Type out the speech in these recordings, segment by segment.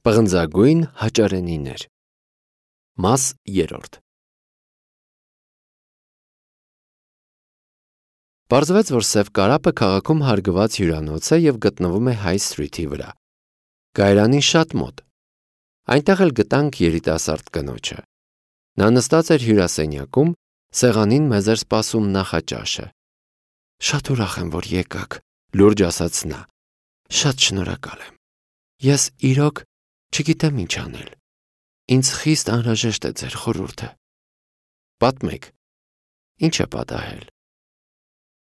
Պղնձագույն հաճարենիներ։ Մաս 3։ Պարզվեց, որ Սև կարապը քաղաքում հարգված հյուրանոց է և գտնվում է High Street-ի վրա։ Կայարանին շատ մոտ։ Այնտեղ էլ գտանք երիտասարդ կնոջը։ Նա նստած էր հյուրասենյակում, սեղանին մեզ էր սպասում նախաճաշը։ Շատ ուրախ եմ, որ եկաք, լուրջ ասաց նա։ Շատ շնորհակալ եմ։ Ես իրոք չգիտեմ ինչ անել։ Ինձ խիստ անհրաժեշտ է ձեր խորհուրդը։ Պատմեք, ինչ է պատահել։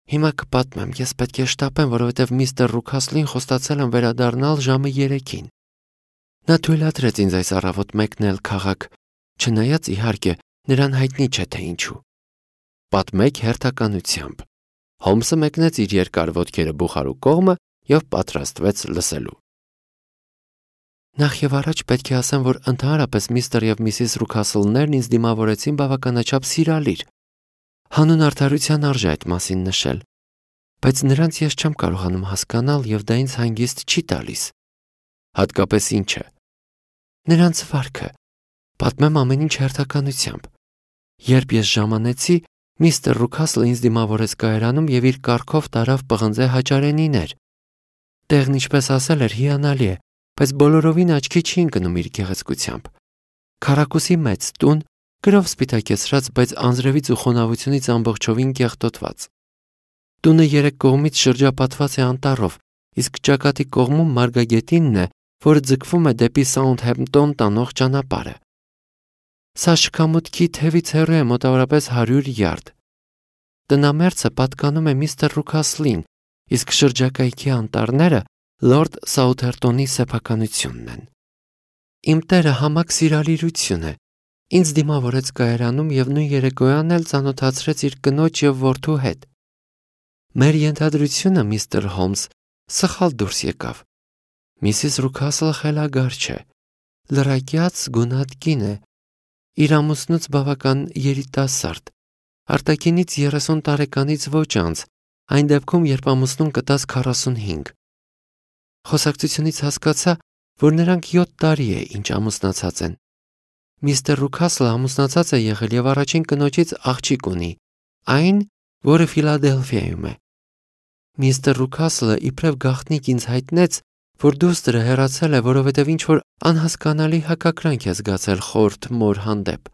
Հիմա կպատմեմ, ես պետք է շտապեմ, որովհետև միստր Ռուքասլին խոստացել եմ վերադառնալ ժամը 3-ին։ Նա թույլատրեց ինձ այս առավոտ մեկնել քաղաք, չնայած իհարկե նրան հայտնի չէ թե ինչու։ Պատմեք հերթականությամբ։ Հոլմսը մեկնեց իր երկար ոտքերը բուխարու կողմը և պատրաստվեց լսելու։ Նախ և առաջ պետք է ասեմ, որ ընդհանրապես միստր և միսիս Ռուքասլներն ինձ դիմավորեցին բավականաչափ սիրալիր։ Հանուն արդարության արժե այդ մասին նշել, բայց նրանց ես չեմ կարողանում հասկանալ և դա ինձ հանգիստ չի տալիս։ Հատկապես ինչը։ Նրանց վարքը։ Պատմեմ ամեն ինչ հերթականությամբ։ Երբ ես ժամանեցի, միստր Ռուքասլը ինձ դիմավորեց կայարանում և իր կառքով տարավ պղնձե հաճարենիներ։ Տեղն ինչպես ասել էր հիանալի է, բայց բոլորովին աչքի չի ընկնում իր գեղեցկությամբ։ Քառակուսի մեծ տուն, գրով սպիտակեցրած, բայց անձրևից ու խոնավությունից ամբողջովին կեղտոտված։ Տունը 3 կողմից շրջապատված է անտառով, իսկ ճակատի կողմում մարգագետինն է, որը ձգվում է դեպի Սաութհեմպտոն տանող ճանապարհը։ Սա շքամուտքի թևից հեռու է մոտավորապես 100 յարդ։ Տնամերձը պատկանում է միստր Ռուքասլին, իսկ շրջակայքի անտառները լորդ Սաութհեմպտոնի սեփականությունն են։ Իմ տերը համակ սիրալիրություն է։ Ինձ դիմավորեց կայարանում և նույն երեկոյան էլ ծանոթացրեց իր կնոջ և որդու հետ։ Մեր ենթադրությունը, միստր Հոլմս, սխալ դուրս եկավ։ Միսիս Ռուքասլը խելագար չէ, լրակյաց գունատ կին է, իր ամուսնուց բավական երիտասարդ, արտաքինից 30 տարեկանից ոչ անց, այն դեպքում, երբ ամուսնուն կտած 45։ Խոսակցությունից հասկացա, որ նրանք 7 տարի է, ինչ ամուսնացած են։ Միստր Ռուքասլը ամուսնացած է եղել և առաջին կնոջից աղջիկ ունի, այն, որը Ֆիլադելֆիայում է։ Միստր Ռուքասլը իբրև գաղտնիք ինձ հայտնեց, որ դուստրը հեռացել է, որովհետև ինչ-որ անհասկանալի հակակրանք է զգացել խորթ մոր հանդեպ։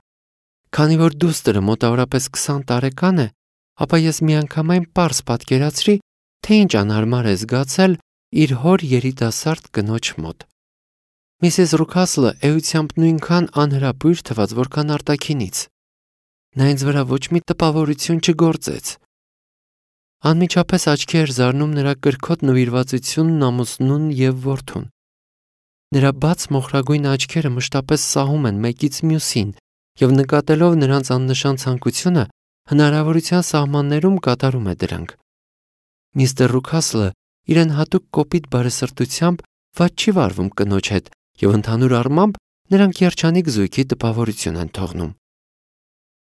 Քանի որ դուստրը մոտավորապես 20 տարեկան է, ապա ես միանգամայն պարզ պատկերացրի, թե ինչ անհարմար է զգացել իր հոր երիտասարդ կնոջ մոտ։ Միսիս Ռուքասլը էությամբ նույնքան անհրապույր թվաց, որքան արտաքինից։ Նա ինձ վրա ոչ մի տպավորություն չգործեց։ Անմիջապես աչքի էր զարնում նրա կրքոտ նվիրվածությունն ամուսնուն և որդուն։ Նրա բաց մոխրագույն աչքերը մշտապես սահում են մեկից մյուսին և նկատելով նրանց աննշան ցանկությունը, հնարավորության սահմաններում կատարում է դրանք։ Միստր Ռուքասլը իրեն հատուկ կոպիտ բարեսրտությամբ վատ չի վարվում կնոջ հետ և ընդհանուր առմամբ նրանք երջանիկ զույգի տպավորություն են թողնում։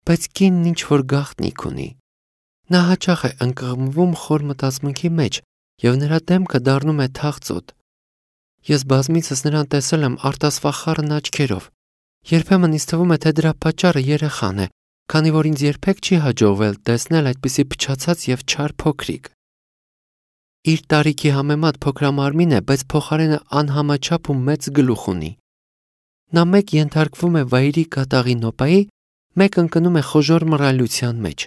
Բայց կինն ինչ-որ գաղտնիք ունի։ Նա հաճախ է ընկղմվում խոր մտածմունքի մեջ և նրա դեմքը դառնում է թախծոտ։ Ես բազմիցս նրան տեսել եմ արտասվախառն աչքերով։ Երբեմն ինձ թվում է, թե դրա պատճառը երեխան է, քանի որ ինձ երբեք չի հաջողվել տեսնել այդպիսի փչացած և չար փոքրիկ։ Իր տարիքի համեմատ փոքրամարմին է, բայց փոխարենը անհամաչափ ու մեծ գլուխ ունի։ Նա մեկ ենթարկվում է վայրի կատաղի նոպայի, մեկ ընկնում է խոժոռ մռայլության մեջ։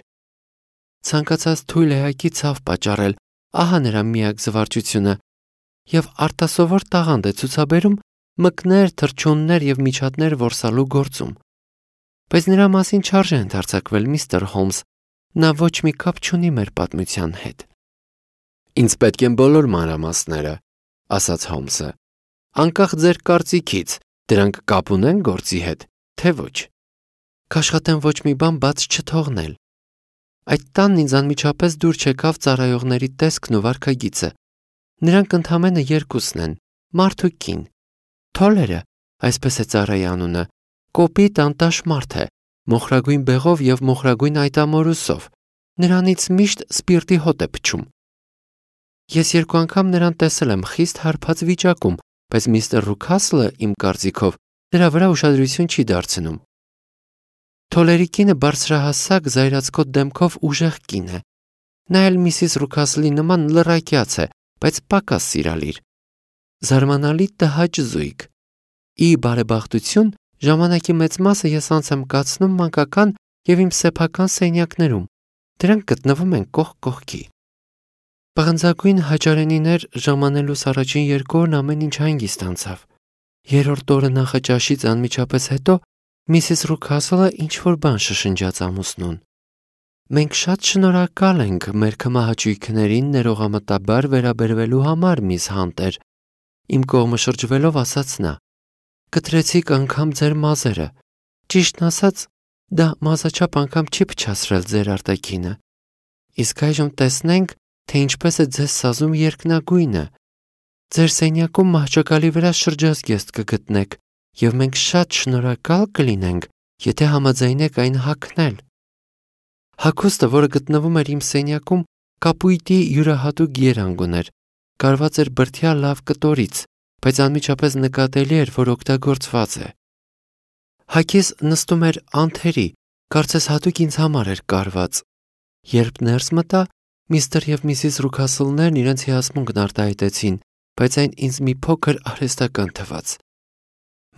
Ցանկացած թույլ էակի ցավ պատճառել, ահա նրա միակ զվարճությունը, և արտասովոր տաղանդ է ցուցաբերում մկներ, թռչուններ և միջատներ որսալու գործում։ Բայց նրա մասին չարժե ընդարձակվել, միստր Հոլմս, նա ոչ մի կապ չունի մեր պատմության հետ։ Ինձ պետք են բոլոր մանրամասները, ասաց Հոլմսը, անկախ ձեր կարծիքից, դրանք կապ ունեն գործի հետ, թե ոչ։ Կաշխատեմ ոչ մի բան բաց չթողնել։ Այդ տանն ինձ անմիջապես դուր չեկավ ծառայողների տեսքն ու վարքագիծը։ Նրանք ընդամենը 2-ն են, մարդ ու կին։ Թոլերը, այսպես է ծառայի անունը, կոպիտ անտաշ մարդ է, մոխրագույն բեղով և մոխրագույն այտամորուսով։ Նրանից միշտ սպիրտի հոտ է փչում։ Ես 2 անգամ նրան տեսել եմ խիստ հարբած վիճակում, բայց միստր Ռուքասլը իմ կարծիքով դրա վրա ուշադրություն չի դարձնում։ Թոլերի կինը բարձրահասակ զայրացկոտ դեմքով ուժեղ կին է։ Նա էլ Միսիս Ռուքասլի նման լռակյաց է, բայց պակաս սիրալիր։ Զարմանալի տհաճ զույգ։ Ի բարեբախտություն, ժամանակի մեծ մասը ես անց եմ կացնում մանկական և իմ սեփական սենյակներում։ Դրանք գտնվում են կողք կողքի։ Պղնձագույն հաճարենիներ ժամանելուց առաջին 2 օրն ամեն ինչ հանգիստ անցավ։ 3-րդ օրը նախաճաշից անմիջապես հետո Միսիս Ռուքասլը ինչ-որ բան շշնջաց ամուսնուն։ Մենք շատ շնորհակալ ենք մեր քմահաճույքներին ներողամտաբար վերաբերվելու համար, միս Հանտեր, իմ կողմը շրջվելով ասաց նա։ Կտրեցիք անգամ ձեր մազերը։ Ճիշտն ասած, դա մազաչափ անգամ չի փչացրել ձեր արտաքինը։ Իսկ այժմ տեսնենք, թե ինչպես է ձեզ սազում երկնագույնը։ Ձեր սենյակում մահճակալի վրա շրջազգեստ կգտնեք, և մենք շատ շնորհակալ կլինենք, եթե համաձայնեք այն հագնել։ Հագուստը, որը գտնվում էր իմ սենյակում, կապույտի յուրահատուկ երանգ ուներ, կարված էր բրդյա լավ կտորից, բայց անմիջապես նկատելի էր, որ օգտագործված է։ Հագիս նստում էր անթերի, կարծես հատուկ ինձ համար էր կարված։ Երբ ներս մտա, միստր և Միսիս Ռուքասլներն իրենց հիասմունքն արտահայտեցին, բայց այն ինձ մի փոքր արհեստական թվաց։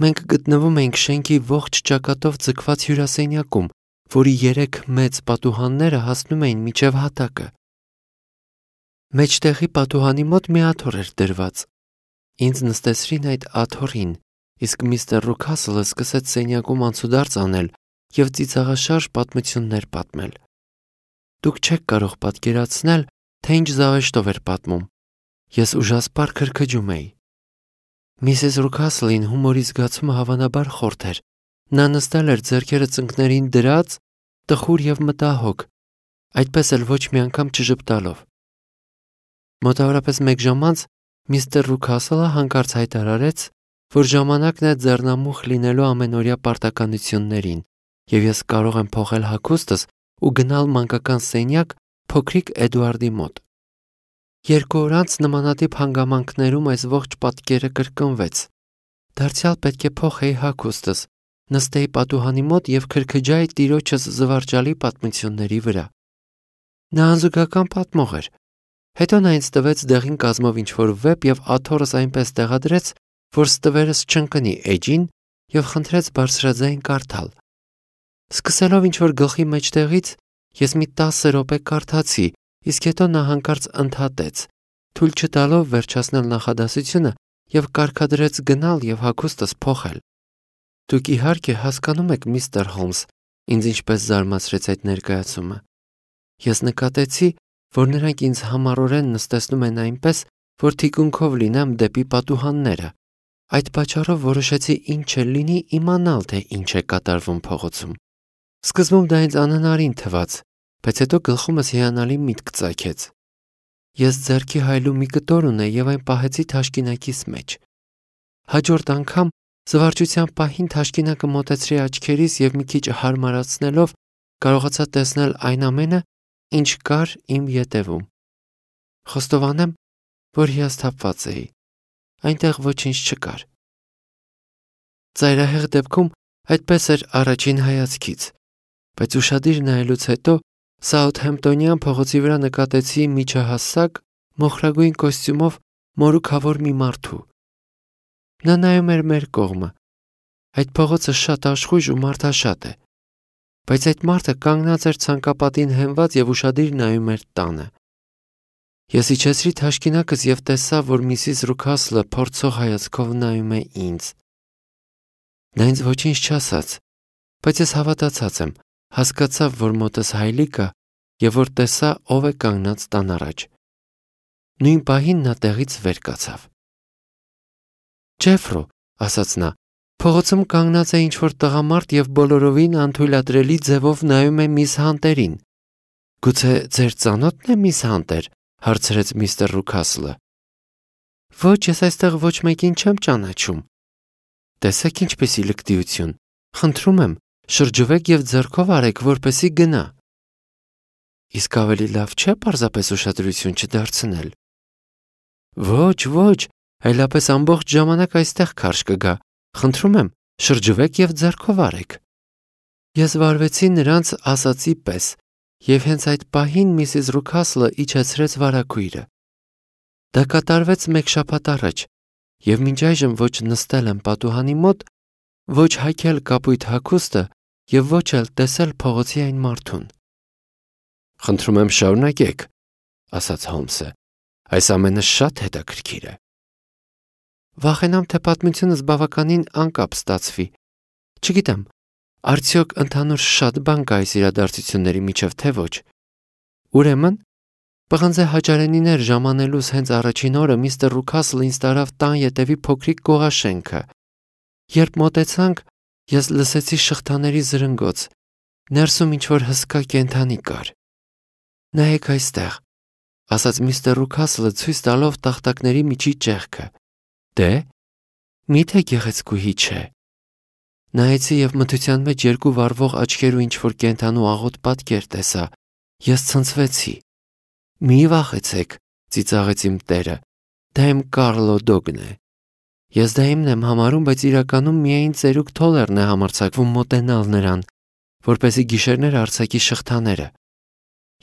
Մենք գտնվում էինք շենքի ողջ ճակատով ձգված հյուրասենյակում, որի 3 մեծ պատուհանները հասնում էին մինչև հատակը։ Մեջտեղի պատուհանի մոտ մի աթոռ էր դրված։ Ինձ նստեցրին այդ աթոռին, իսկ միստր Ռուքասլը սկսեց սենյակում անցուդարձ անել և ծիծաղաշարժ պատմություններ պատմել։ Դուք չեք կարող պատկերացնել, թե ինչ զավեշտով էր պատմում։ Ես ուժասպառ քրքջում էի։ Միսիս Ռուքասլին հումորի զգացումը հավանաբար խորթ էր։ Նա նստել էր ձեռքերը ծնկներին դրած, տխուր և մտահոգ, այդպես էլ ոչ մի անգամ չժպտալով։ Մոտավորապես 1 ժամ անց միստր Ռուքասլը հանկարծ հայտարարեց, որ ժամանակն է ձեռնամուխ լինելու ամենօրյա պարտականություններին, և ես կարող եմ փոխել հագուստս ու գնալ մանկական սենյակ փոքրիկ Էդուարդի մոտ։ 2 օր անց նմանատիպ հանգամանքներում այս ողջ պատկերը կրկնվեց։ Դարձյալ պետք է փոխեի հագուստս, նստեի պատուհանի մոտ և քրքջայի տիրոջս զվարճալի պատմությունների վրա։ Նա անզուգական պատմող էր։ Հետո նա ինձ տվեց դեղին կազմով ինչ-որ վեպ և աթոռս այնպես տեղադրեց, որ ստվերս չընկնի էջին և խնդրեց բարձրաձայն կարդալ։ Սկսելով ինչ-որ գլխի մեջտեղից, ես մի 10 րոպե կարդացի, իսկ հետո նա հանկարծ ընդհատեց, թույլ չտալով վերջացնել նախադասությունը և կարգադրեց գնալ և հագուստս փոխել։ Դուք իհարկե հասկանում եք, միստր Հոլմս, ինձ ինչպես զարմացրեց այդ ներկայացումը։ Ես նկատեցի, որ նրանք ինձ համառորեն նստեցնում են այնպես, որ թիկունքով լինեմ դեպի պատուհանները։ Այդ պատճառով որոշեցի ինչ էլ լինի իմանալ, թե ինչ է կատարվում փողոցում։ Սկզբում դա ինձ անհնարին թվաց, բայց հետո գլխումս հիանալի միտք ծագեց։ Ես ձեռքի հայլու մի կտոր ունեի և այն պահեցի թաշկինակիս մեջ։ Հաջորդ անգամ զվարճության պահին թաշկինակը մոտեցրի աչքերիս և մի քիչ հարմարացնելով կարողացա տեսնել այն ամենը, ինչ կար իմ ետևում։ Խոստովանեմ, որ հիասթափված էի։ Այնտեղ ոչինչ չկար։ Ծայրահեղ դեպքում այդպես էր առաջին հայացքից, բայց ուշադիր նայելուց հետո Սաութհեմպտոնյան փողոցի վրա նկատեցի միջահասակ, մոխրագույն կոստյումով մորուքավոր մի մարդու։ Նա նայում էր մեր կողմը։ Այդ փողոցը շատ աշխույժ ու մարդաշատ է, բայց այդ մարդը կանգնած էր ցանկապատին հենված և ուշադիր նայում էր տանը։ Ես իջեցրի թաշկինակս և տեսա, որ Միսիս Ռուքասլը փորձող հայացքով նայում է ինձ։ Նա ինձ ոչինչ չասաց, բայց ես հավատացած եմ, հասկացավ, որ մոտս հայլի կա և որ տեսա, ով է կանգնած տան առաջ։ Նույն պահին նա տեղից վեր կացավ։ Ջեֆրո, ասաց նա, փողոցում կանգնած է ինչ-որ տղամարդ և բոլորովին անթույլատրելի ձևով նայում է միս Հանտերին։ Գուցե ձեր ծանոթն է միս Հանտեր, հարցրեց միստր Ռուքասլը։ Ոչ, ես այստեղ ոչ մեկին չեմ ճանաչում։ Տեսեք ինչպեսի լկտիություն։ Խնդրում եմ, շրջվեք և ձեռքով արեք, որպեսզի գնա։ Իսկ ավելի լավ չէ պարզապես ուշադրություն չդարձնել։ Ոչ, Այլապես ամբողջ ժամանակ այստեղ քարշ կգա։ Խնդրում եմ, շրջվեք եւ ձեռքով արեք։ Ես վարվեցի նրանց ասացի պես, եւ հենց այդ պահին Միսիս Ռուքասլը իջեցրեց վարագույրը։ Դա կատարվեց մեկ շաբաթ առաջ, եւ մինչ այժմ ոչ նստել եմ պատուհանի մոտ, ոչ հայքել կապույտ հագուստը եւ ոչ էլ տեսել փողոցի այն մարդուն։ Խնդրում եմ շարունակեք, ասաց Հոլմսը։ Այս ամենը շատ հետաքրքիր է։ Վախենամ, թե պատմությունս բավականին անկապ ստացվի։ Չգիտեմ, արդյոք ընդհանուր շատ բան կա այս իրադարձությունների միջև, թե ոչ։ Ուրեմն, պղնձե հաճարենիներ ժամանելուց հենց առաջին օրը միստր Ռուքասլը ինձ տարավ տան ետևի փոքրիկ գողաշենքը։ Երբ մոտեցանք, ես լսեցի շղթաների զրնգոց։ Ներսում ինչ-որ հսկա կենդանի կար։ Նայեք այստեղ, ասաց միստր Ռուքասլը ցույց տալով տախտակների միջի ճեղքը։ Դե, միթե գեղեցկուհի չէ։ Նայեցի եւ մթության մեջ երկու վառվող աչքերու ինչ-որ կենդանու աղոտ պատկեր տեսա։ Ես ցնցվեցի։ Մի վախեցեք, ծիծաղեց իմ տերը։ Դա իմ Կարլո Դոգն է։ Ես դա իմն եմ համարում, բայց իրականում միայն ծերուկ Թոլերն է համարձակվում մոտենալ նրան, որպեսզի գիշերներ արձակի շղթաները։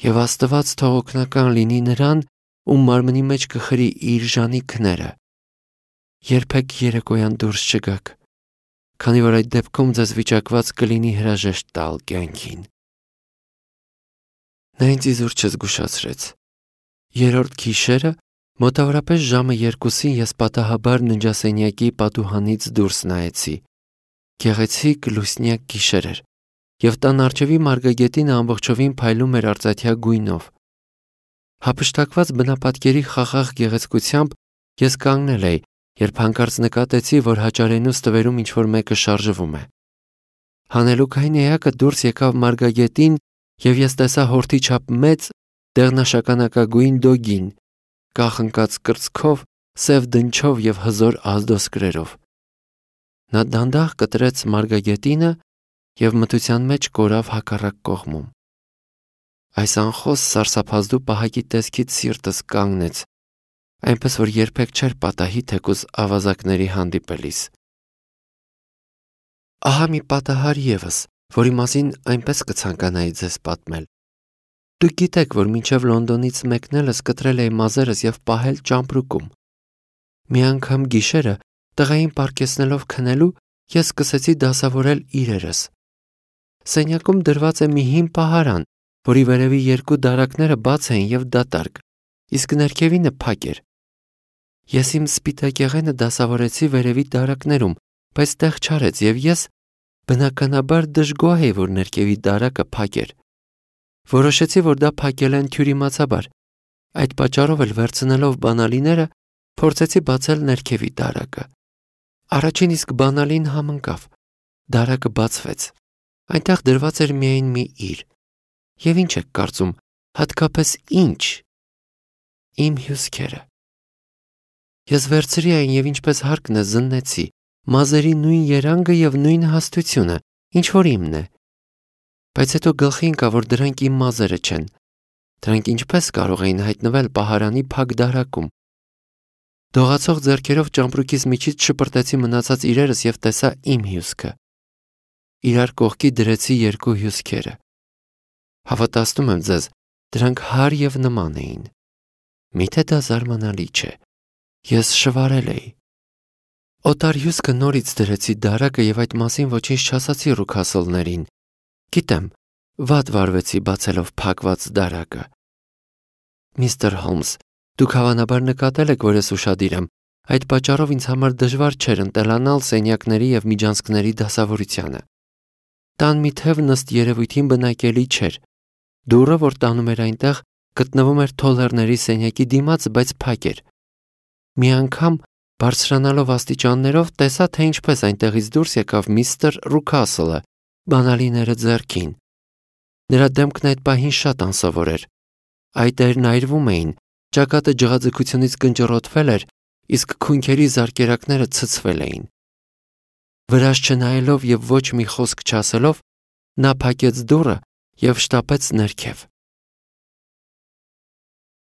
Եվ Աստված թող օգնական լինի նրան, ում մարմնի մեջ կխրի իր ժանիքները։ Երբեք երեկոյան դուրս չգաք, քանի որ այդ դեպքում ձեզ վիճակված կլինի հրաժեշտ տալ կյանքին։ Նա ինձ իզուր չզգուշացրեց։ Երրորդ գիշերը, մոտավորապես ժամը 2-ին ես պատահաբար ննջասենյակի պատուհանից դուրս նայեցի։ Գեղեցիկ լուսնյակ գիշեր էր, եւ տան առջևի մարգագետինը ամբողջովին փայլում էր արծաթյա գույնով։ Հափշտակված բնապատկերի խաղաղ գեղեցկությամբ ես կանգնել էի, երբ հանկարծ նկատեցի, որ հաճարենու ստվերում ինչ-որ մեկը շարժվում է։ Հանելուկային էակը դուրս եկավ մարգագետին, եւ ես տեսա հորթի չափ մեծ, դեղնաշագանակագույն դոգին, կախնկած կրծքով, սև դնչով եւ հզոր ազդոսկրերով։ Նա դանդաղ կտրեց մարգագետինը եւ մթության մեջ կորավ հակառակ կողմում։ Այս անխոս սարսափազդու պահակի տեսքից սիրտս կանգնեց, այնպես որ երբեք չէր պատահի թեկուզ ավազակների հանդիպելիս։ Ահա մի պատահար եւս, որի մասին այնպես կցանկանայի ձեզ պատմել։ Դուք գիտեք, որ մինչև Լոնդոնից մեկնելս կտրել էի մազերս եւ պահել ճամպրուկում։ Մի անգամ գիշերը, տղային պառկեցնելով քնելու, ես սկսեցի դասավորել իրերս։ Սենյակում դրված է մի հին պահարան, որի վերևի երկու դարակները բաց էին եւ դատարկ, իսկ ներքևինը փակ էր։ Ես իմ սպիտակեղենը դասավորեցի վերևի դարակներում, բայց տեղ չարեց եւ ես բնականաբար դժգոհ էի, որ ներքևի դարակը փակ էր։ Որոշեցի, որ դա փակել են թյուրիմացաբար։ Այդ պատճառով էլ վերցնելով բանալիները, փորձեցի բացել ներքևի դարակը։ Առաջին իսկ բանալին համընկավ։ Դարակը բացվեց։ Այնտեղ դրված էր միայն մի իր։ Եվ ինչ եք կարծում, հատկապես ինչ։ Իմ հյուսքերը։ Ես վերցրի այն եւ ինչպես հարկն է զննեցի, մազերի նույն երանգը եւ նույն հաստությունը, ինչ որ իմն է։ Բայց հետո գլխի ընկավ, որ դրանք իմ մազերը չեն։ Դրանք ինչպես կարող էին հայտնվել պահարանի փակ դարակում։ Դողացող ձեռքերով ճամպրուկիս միջից շպրտեցի մնացած իրերս եւ տեսա իմ հյուսքը։ Իրար կողքի դրեցի երկու հյուսքերը։ Հավատացնում եմ ձեզ, դրանք հար եւ նման էին։ Միթե դա զարմանալի չէ։ Ես շվարել էի։ Օտար հյուսքը նորից դրեցի դարակը եւ այդ մասին ոչինչ չասացի Ռուքասլներին։ Գիտեմ, վատ վարվեցի բացելով փակված դարակը։ Միստր Հոլմս, դուք հավանաբար նկատել եք, որ ես ուշադիր եմ, այդ պատճառով ինձ համար դժվար չէր ընտելանալ սենյակների եւ միջանցքների դասավորությանը։ Տան մի թև նստ երևույթին բնակելի չէր։ Դուռը, որ տանում էր այնտեղ, գտնվում էր Թոլերների սենյակի դիմաց, բայց փակ էր։ Մի անգամ, բարձրանալով աստիճաններով, տեսա, թե ինչպես այնտեղից դուրս եկավ միստր Ռուքասլը, բանալիները ձեռքին։ Նրա դեմքն այդ պահին շատ անսովոր էր։ Այտերն այրվում էին, ճակատը ջղաձգությունից կնճռոտվել էր, իսկ քունքերի զարկերակները ցցվել էին։ Վրաս չնայելով եւ ոչ մի խոսք չասելով, նա փակեց դուռը եւ շտապեց ներքև։